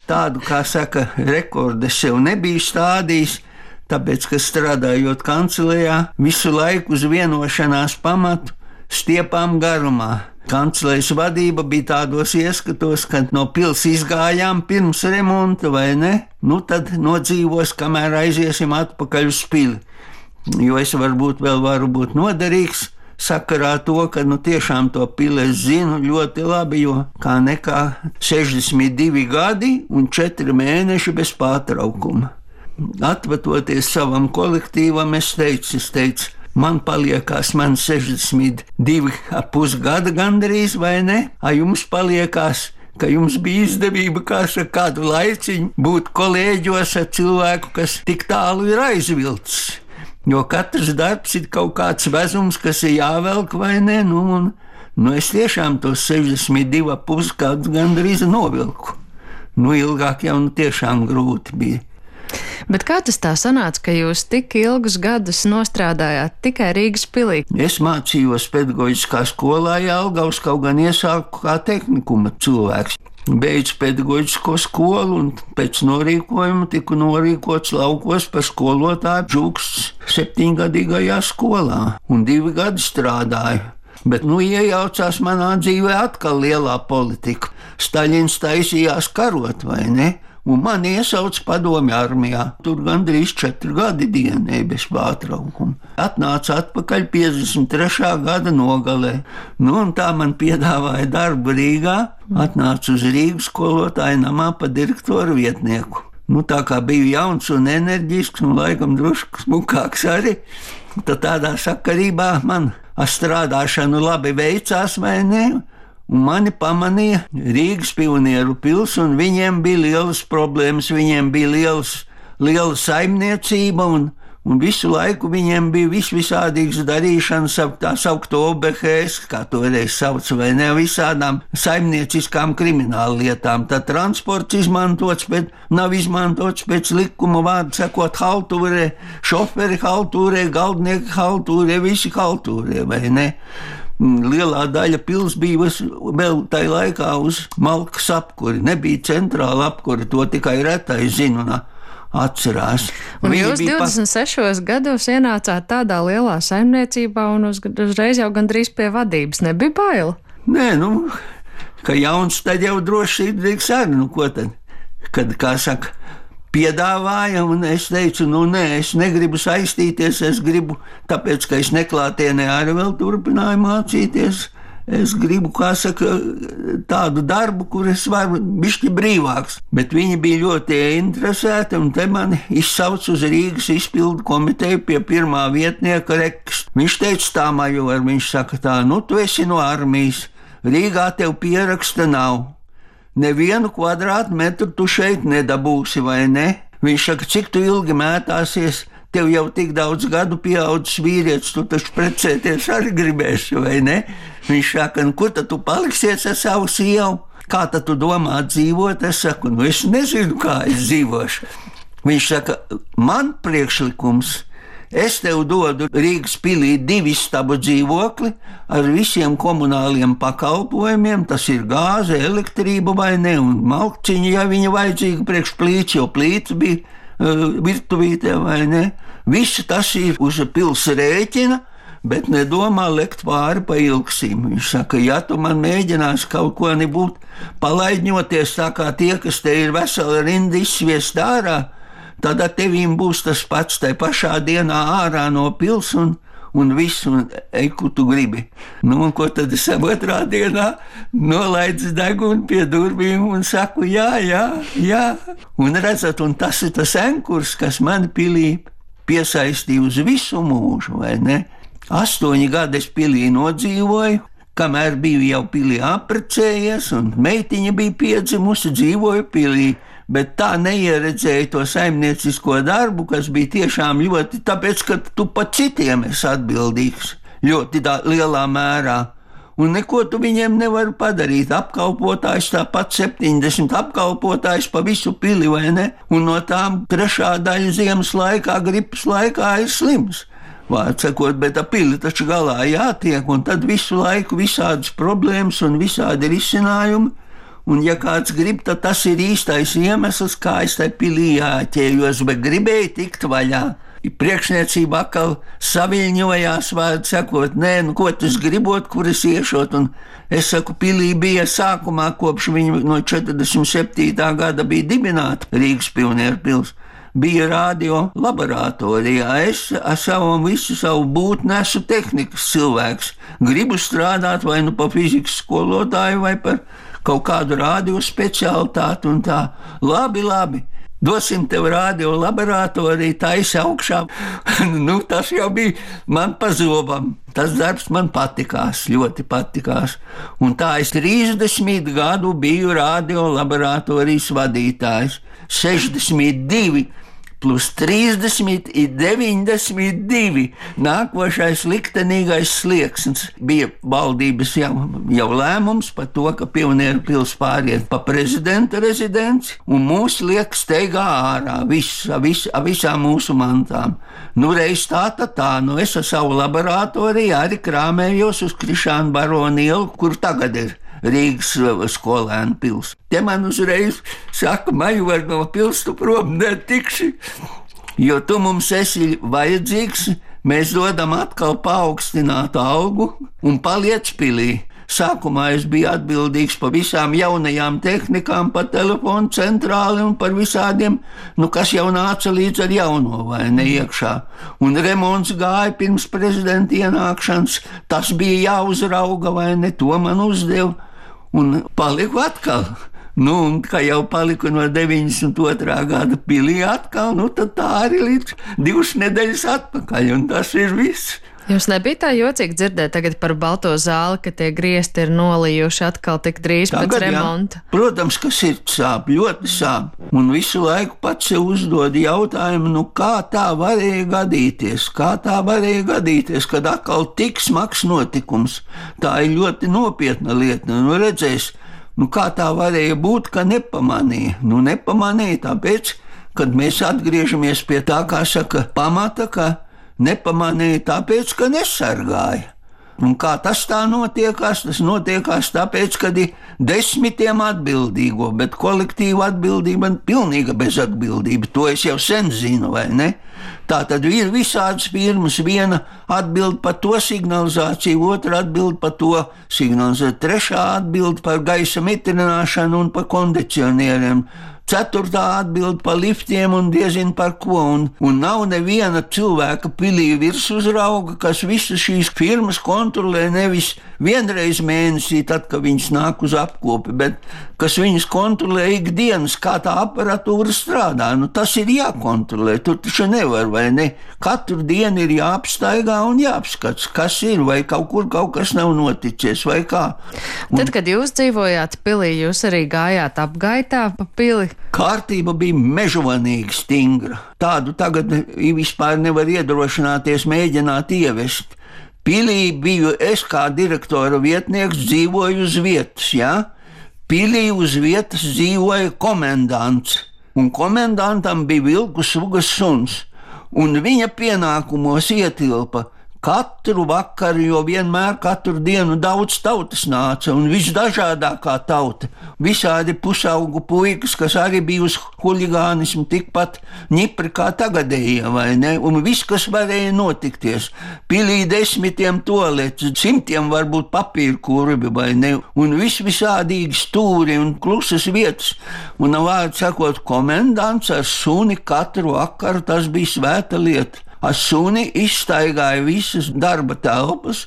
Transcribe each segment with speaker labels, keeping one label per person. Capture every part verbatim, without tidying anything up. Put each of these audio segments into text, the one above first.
Speaker 1: tādu, kā saka, rekordu es sev nebiju stādījis, tāpēc, ka strādājot kancelējā, visu laiku uz vienošanās pamatu stiepām garumā. Kancelejas vadība bija tādos ieskatos, kad no pils izgājām pirms remonta, vai ne? Nu tad nodzīvos, kamēr aiziesim atpakaļ uz pili. Jo es varbūt vēl varu būt noderīgs sakarā to, ka nu tiešām to pili es zinu ļoti labi, jo kā nekā sešdesmit divi gadi un četri mēneši bez pārtraukuma. Atvatoties savam kolektīvam, es teicu, es teicu, man paliekās man sešdesmit divi ap pusgada gandrīz, vai ne? A jums paliekās, ka jums bija izdevība, kā saka, kādu laiciņu būt kolēģos ar cilvēku, kas tik tālu ir aizvilcis. Jo katrs darbs ir kaut kāds vezums, kas ir jāvelk, vai ne? Nu, un, nu es tiešām tos sešdesmit divi ap pusgadus gandrīz novilku. Nu, ilgāk jau nu tiešām grūti bija.
Speaker 2: Bet kā tas tā sanāca, ka jūs tik ilgus gadus nostrādājāt tikai Rīgas pilī?
Speaker 1: Es mācījos pedagoģiskā skolā Jelgavas, kaut gan iesāku kā tehnikuma cilvēks. Beidzu pedagoģisko skolu un pēc norīkojuma tiku norīkots laukos par skolotāju Džūksts septiņgadīgajā skolā un divi gadi strādāju. Bet nu iejaucās manā dzīvē atkal lielā politika. Staļins taisījās karot, vai ne? Un mani iesauca padomju armijā. Tur gandrīz četri gadi dienai bez pārtraukuma. Atnāca atpakaļ piecdesmit trešā gada nogalē. Nu, un tā man piedāvāja darbu Rīgā. Atnāca uz Rīgas skolotāju namā pa direktoru vietnieku. Nu, tā kā biju jauns un enerģisks un laikam drusku smukāks arī, tad tādā sakarībā man ar strādāšanu labi veicās, vai ne? Un mani pamanīja Rīgas pionieru pils, un viņiem bija lielas problēmas, viņiem bija liels, liela saimniecība, un, un visu laiku viņiem bija vis visādīgas darīšanas ap tā saukto O B H S, kā toreiz sauc, vai ne, visādām saimnieciskām krimināla lietām. Tad transports izmantots, bet nav izmantots pēc likuma, vārdu sakot, haltūrē, šoferi haltūrē, galdnieki haltūrē, visi haltūrē, vai ne? Lielā daļa pils bija vēl tajā laikā uz malkas apkuri. Nebija centrāla apkuri, to tikai retai zinu un atcerās.
Speaker 2: Un Viņi jūs divdesmit sešos pa... gados ienācāt tādā lielā saimniecībā un uz, uzreiz jau gandrīz pie vadības. Nebija baila?
Speaker 1: Nē, nu, ka jauns tad jau droši sirdīgs arī, nu ko tad? Kad, kā saka, piedāvāja, un es teicu, nu nē, es negribu saistīties, es gribu, tāpēc, ka es neklātienē arī vēl turpināju mācīties, es gribu, kā saka, tādu darbu, kur es varu bišķi brīvāks. Bet viņi bija ļoti interesēti, un te mani izsauc uz Rīgas izpildu komiteju pie pirmā vietnieka Reks. Viņš teica tā, major, viņš saka tā, nu tu esi no armijas, Rīgā tev pieraksta nav. Nevienu kvadrātmetru tu šeit nedabūsi, vai ne? Viņš saka, cik tu ilgi mētāsies, tev jau tik daudz gadu pieaudzis vīrietis, tu taču precēties arī gribēsi, vai ne? Viņš saka, nu kur tad tu paliksies ar savu sievu? Kā tad tu domā dzīvot? Es saku, nu es nezinu, kā es dzīvošu. Viņš saka, man priekšlikums, es tev dodu Rīgas pilī divu istabu dzīvokli ar visiem komunāliem pakalpojumiem, tas ir gāze, elektrība vai ne, un malkciņa, ja viņa vajadzīga priekš plīts, jo plīts bija uh, virtuvītē vai ne. Visu tas ir uz pils rēķina, bet nedomā lekt pāri pa ilgsim. Viņš saka, ja tu man mēģinās kaut ko nebūt palaidņoties tā kā tie, kas te ir vesela rinda izsviest ārā, tad ar tevīm būs tas pats tai pašā dienā ārā no pils un, un viss, un ej, ko tu gribi. Nu, un ko tad es otrā dienā nolaidzu degunu pie durvīm un saku, jā, jā, jā. Un redzat, un tas ir tas enkurs, kas mani pilī piesaistīja uz visu mūžu, vai ne? Astoņi gadi es pilī nodzīvoju, kamēr biju jau pilī apprecējies, un meitiņa bija piedzimusi, dzīvoju pilī. Bet tā neieredzēja to saimniecisko darbu, kas bija tiešām ļoti, tāpēc, ka tu pat citiem esi atbildīgs ļoti tā, lielā mērā. Un neko tu viņiem nevari padarīt. Apkalpotājs tāpat septiņdesmit apkalpotājs pa visu pili, vai ne? Un no tām trešā daļa ziemas laikā, gripas laikā ir slims. Vārdsakot, bet ar pili taču galā jātiek, un tad visu laiku visādas problēmas un visādi risinājumi. un ja kāds grib, tad tas ir īstais iemesls, kā es tai pilī jāķējos, bet gribēju tikt vaļā. Priekšniecība atkal saviļņojās, vārdu sakot, nē, nu ko tas gribot, kur es iešot, un es saku, pilī bija sākumā, kopš viņa no četrdesmit septītā gada bija dibināta Rīgas Pionieru pils. Bija radio laboratorijā. Es ar savu visu savu būtni esmu tehnikas cilvēks. Gribu strādāt vai nu pa fizikas skolotāju, vai par kaut kādu radio specialitāti un tā. Labi, labi. Dosim tev radio laboratoriju, taisi augšā. Nu, tas jau bija man pa zobam. Tas darbs man patikās, ļoti patikās. Un tā es trīsdesmit gadu biju radio laboratorijas vadītājs. sešdesmit divi plus trīsdesmit ir deviņdesmit divi. Nākošais liktenīgais slieksnis bija valdības jau, jau lēmums par to, ka Pionieru pils pāriet pa prezidenta rezidenci un mūs liek steigā ārā, viss, vis, visām mūsu mantām. Nu, reiz tā, tā, tā, nu es ar savu laboratoriju arī krāmējos uz Krišāna Barona ielu, kur tagad ir Rīgas skolēnu pils. Te man uzreiz saka, Major, no pils tu prom netikši, jo tu mums esi vajadzīgs, mēs dodam atkal paaugstinātu algu un paliec pilī. Sākumā es biju atbildīgs par visām jaunajām tehnikām, par telefonu centrāli un par visādiem, nu kas jau nāca līdz ar jauno vai ne iekšā. Un remonts gāja pirms prezidenta ienākšanas, tas bija jāuzrauga vai ne, to man uzdeva. Un paliku atkal. Nu, un kā jau paliku no deviņdesmit otrā gada pilī atkal, nu tad tā arī līdz divas nedēļas atpakaļ, un tas ir viss.
Speaker 2: Jums nebija tā jocīgi dzirdēt tagad par balto zāli, ka tie griesti ir nolījuši atkal tik drīz tagad, pēc remonta?
Speaker 1: Jā. Protams, ka sirds sāp, ļoti sāp. Un visu laiku pats sev uzdod jautājumu, nu kā tā varēja gadīties, kā tā varēja gadīties, kad atkal tik smags notikums. Tā ir ļoti nopietna lieta, nu redzēs, nu kā tā varēja būt, ka nepamanīja. Nu nepamanīja tāpēc, kad mēs atgriežamies pie tā, kā saka, pamata, ka nepamanīja tāpēc, ka nesargāja. Un kā tas tā notiekās? Tas notiekās tāpēc, ka ir desmitiem atbildīgo, bet kolektīva atbildība ir pilnīga bezatbildība. To es jau sen zinu, vai ne? Tā tad ir visādas firmas, viena atbild par to signalizāciju, otra atbild par to signalizāciju, trešā atbild par gaisa mitrināšanu un par kondicionieriem. Ceturtā atbild par liftiem un diezin par ko, un, un nav neviena cilvēka pilī virsuzrauga, kas visas šīs firmas kontrolē nevis vienreiz mēnesī, tad, kad viņas nāk uz apkopi, bet kas viņas kontrolē ikdienas, kā tā aparatūra strādā. Nu, tas ir jākontrolē, tur taču nevar, vai ne? Katru dienu ir jāapstaigā un jāapskats, kas ir, vai kaut kur kaut kas nav noticies, vai kā. Un
Speaker 2: tad, kad jūs dzīvojāt pilī, jūs arī gājāt apgaitā pa pili?
Speaker 1: Kārtība bija mežonīgi stingra. Tādu tagad vispār nevar iedrošināties mēģināt ievest. Pilī biju es kā direktora vietnieks, dzīvoju uz vietas, jā? Pilī uz vietas dzīvoja komendants, un komendantam bija vilku sugas suns, un viņa pienākumos ietilpa katru vakaru, jo vienmēr katru dienu daudz tautas nāca, un visdažādākā tauta, visādi pusaugu puikas, kas arī bija uz huligānismu tikpat ņipri kā tagadējie, vai ne, un viss, kas varēja notikties. Pilī desmitiem toaletes, simtiem varbūt papīru kurbi, vai ne, un viss visādīgi stūri un klusas vietas, un vārdu sakot, komendants ar suni katru vakaru, tas bija svēta lieta. Ar suni izstaigāja visas darba telpas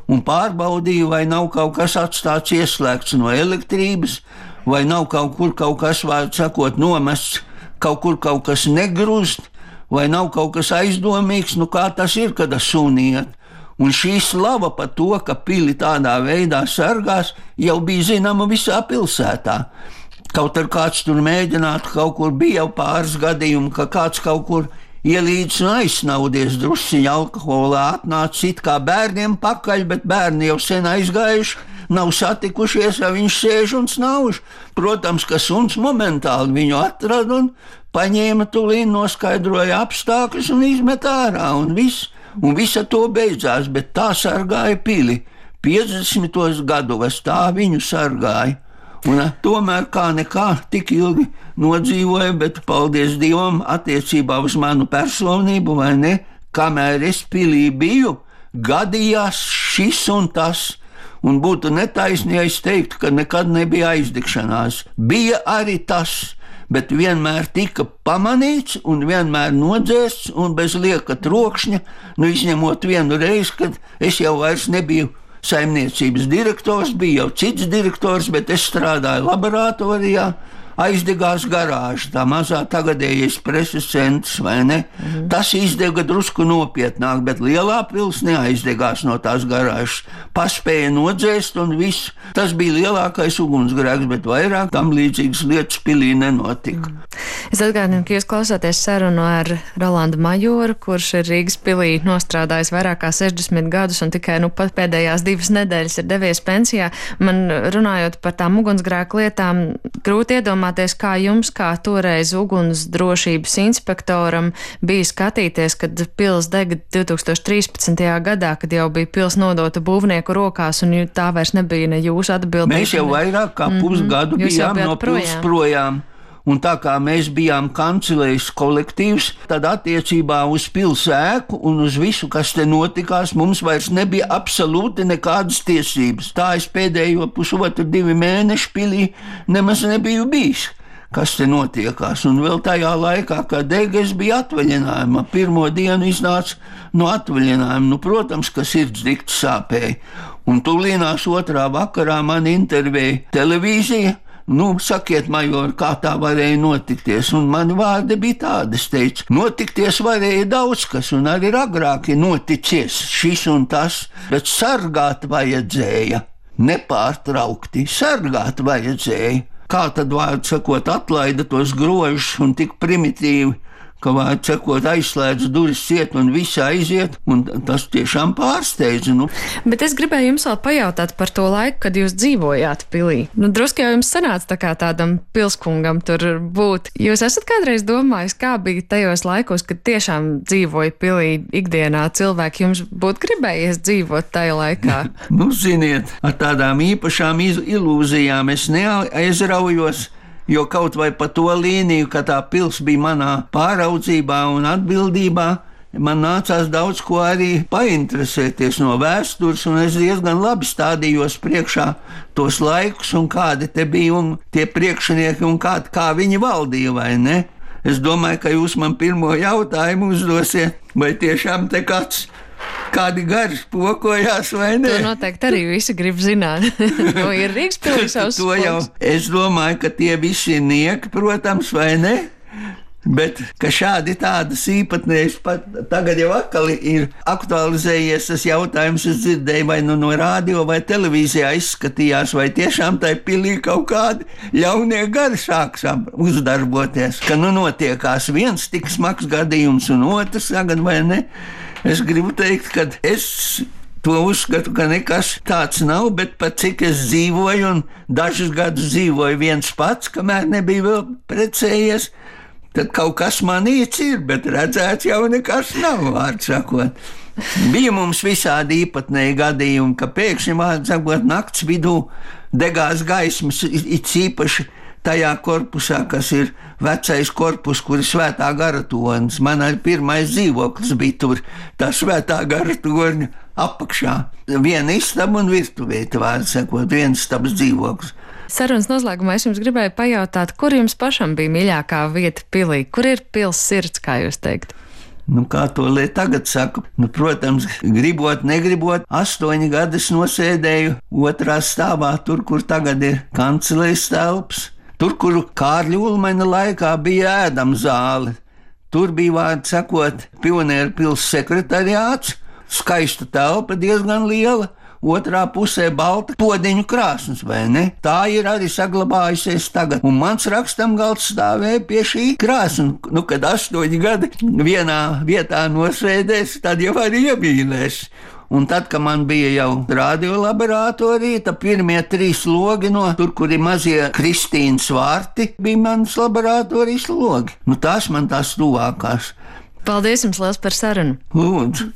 Speaker 1: un pārbaudīja, vai nav kaut kas atstāts ieslēgts no elektrības, vai nav kaut kur kaut kas, vārdu sakot, nomests, kaut kur kaut kas negrūst, vai nav kaut kas aizdomīgs, nu kā tas ir, kad ar suni iet. Un šī slava par to, ka pili tādā veidā sargās, jau bija zināma visā pilsētā. Kaut ar kāds tur mēģinātu, kaut kur bija jau pāris gadījumi, ka kāds kaut kur ielīdz un aizsnaudies drusciņa alkoholā, atnācis it kā bērniem pakaļ, bet bērni jau sen aizgājuši, nav satikušies, ja viņš sēž un snauž. Protams, ka suns momentāli viņu atrada un paņēma tulīn, noskaidroja apstākļus un izmet ārā, un viss, un visa to beidzās, bet tā sargāja pili. piecdesmitos gados tā viņu sargāja. Un tomēr kā nekā tik ilgi nodzīvoju, bet paldies Dievam attiecībā uz manu personību, vai ne, kamēr es pilī biju, gadījās šis un tas. Un būtu netaisni, ja es teiktu, ka nekad nebija aizdegšanās. Bija arī tas, bet vienmēr tika pamanīts un vienmēr nodzēsts un bez lieka trokšņa, nu izņemot vienu reizi, kad es jau vairs nebiju saimniecības direktors, bija jau cits direktors, bet es strādāju laboratorijā. Aizdegās garāža, tā mazā tagadējais preses centrs, vai ne? Mm. Tas izdega drusku nopietnāk, bet lielā pils neaizdegās no tās garāžas. Paspēja nodzēst un viss. Tas bija lielākais ugunsgrēks, bet vairāk tam līdzīgas lietas pilī nenotika.
Speaker 2: Mm. Es atgādinu, ka jūs klausāties sarunu ar Rolandu Majoru, kurš ir Rīgas pilī nostrādājis vairāk kā sešdesmit gadus un tikai nu pat pēdējās divas nedēļas ir devies pensijā. Man runājot par tām ugunsgrēku lietām, grūti iedomāties, kā jums, kā toreiz uguns drošības inspektoram, bija skatīties, kad pils dega divi tūkstoši trīspadsmitajā gadā, kad jau bija pils nodota būvnieku rokās un tā vairs nebija ne jūsu atbildība.
Speaker 1: Mēs jau vairāk kā pusgadu mm-hmm. bijām no pils projām. Un tā kā mēs bijām kancelējas kolektīvs, tad attiecībā uz pilsētu un uz visu, kas te notikās, mums vairs nebija absolūti nekādas tiesības. Tā es pēdējo pusotru divi mēneši pilī nemaz nebiju bijis, kas te notiekās. Un vēl tajā laikā, kad dega, es biju atvaļinājumā. Pirmo dienu iznāca no atvaļinājuma. Nu, protams, ka sirds dikti sāpēja. Un tūlīnās otrā vakarā man intervēja televīzija. Nu, sakiet, Major, kā tā varēja notikties? Un mani vārdi bija tādi, es teicu, notikties varēja daudz kas, un arī agrāk ir noticies šis un tas, bet sargāt vajadzēja, nepārtraukti, sargāt vajadzēja. Kā tad, vārdu sakot, atlaida tos grožus un tik primitīvi, ka, vārdu sakot, aizslēdz durvis ciet un visi aiziet, un tas tiešām pārsteidza. Nu.
Speaker 2: Bet es gribēju jums vēl pajautāt par to laiku, kad jūs dzīvojāt pilī. Nu, drusku jau jums sanāca tā kā tādam pilskungam tur būt. Jūs esat kādreiz domājis, kā bija tajos laikos, kad tiešām dzīvoja pilī ikdienā cilvēki, jums būtu gribējies dzīvot tajā laikā?
Speaker 1: Nu, ziniet, ar tādām īpašām ilūzijām es neaizraujos, jo kaut vai pa to līniju, ka tā pils bija manā pāraudzībā un atbildībā, man nācās daudz ko arī painteresēties no vēstures, un es diezgan labi stādījos priekšā tos laikus un kādi te bija un tie priekšnieki un kā, kā viņi valdīja, vai ne? Es domāju, ka jūs man pirmo jautājumu uzdosiet, vai tiešām te kāds kādi gari spokojās, vai ne?
Speaker 2: To noteikti arī visi grib zināt. To ir Rīgas pilī savs
Speaker 1: to jau, es domāju, ka tie visi ir nieki, protams, vai ne? Bet, ka šādi tādas īpatnējas pat tagad jau atkal ir aktualizējies tas jautājums, es dzirdēju, vai nu no rādio vai televīzijā izskatījās, vai tiešām tai pilī kaut kādi ļaunie gari sāks uzdarboties, ka nu notiekās viens tik smags gadījums un otrs tagad, vai ne? Es gribu teikt, ka es to uzskatu, ka nekas tāds nav, bet pat cik es dzīvoju un dažus gadus dzīvoju viens pats, kamēr nebija vēl precējies, tad kaut kas manīts ir, bet redzēts jau nekas nav, vārds sakot. Bija mums visādi īpatnēji gadījumi, ka pēkšņi, vārds sakot, nakts vidū degās gaismas, it īpaši tajā korpusā, kas ir vecais korpus, kur ir Svētā gara tornis. Man arī pirmais dzīvoklis bija tur, tā Svētā gara torņa apakšā. Viena istaba un virtuvēta, vārds sakot, viens istabas dzīvoklis.
Speaker 2: Sarunas noslēgumā es jums gribēju pajautāt, kur jums pašam bija mīļākā vieta pilī? Kur ir pils sirds, kā jūs teikt?
Speaker 1: Nu, kā to lai tagad saku? Nu, protams, gribot, negribot, astoņi gadus nosēdēju otrā stāvā, tur, kur tagad ir kancelējas telpas. Tur, kur Kārļa Ulmaņa laikā bija ēdama zāle, tur bija, vārds sakot, Pionieru pils sekretariāts, skaista telpa diezgan liela, otrā pusē balta podiņu krāsnes, vai ne? Tā ir arī saglabājusies tagad, un mans rakstamgalds stāvēja pie šī krāsnes. Nu, kad astoņi gadi vienā vietā nosēdēs, tad jau arī iemīlēs. Un tad, kad man bija jau radiolaboratorija, tad pirmie trīs logi no tur, kur ir mazie Kristīnas vārti, bija manas laboratorijas logi. Nu, tās man tās tuvākās.
Speaker 2: Paldies jums liels par sarunu.
Speaker 1: Lūdzu.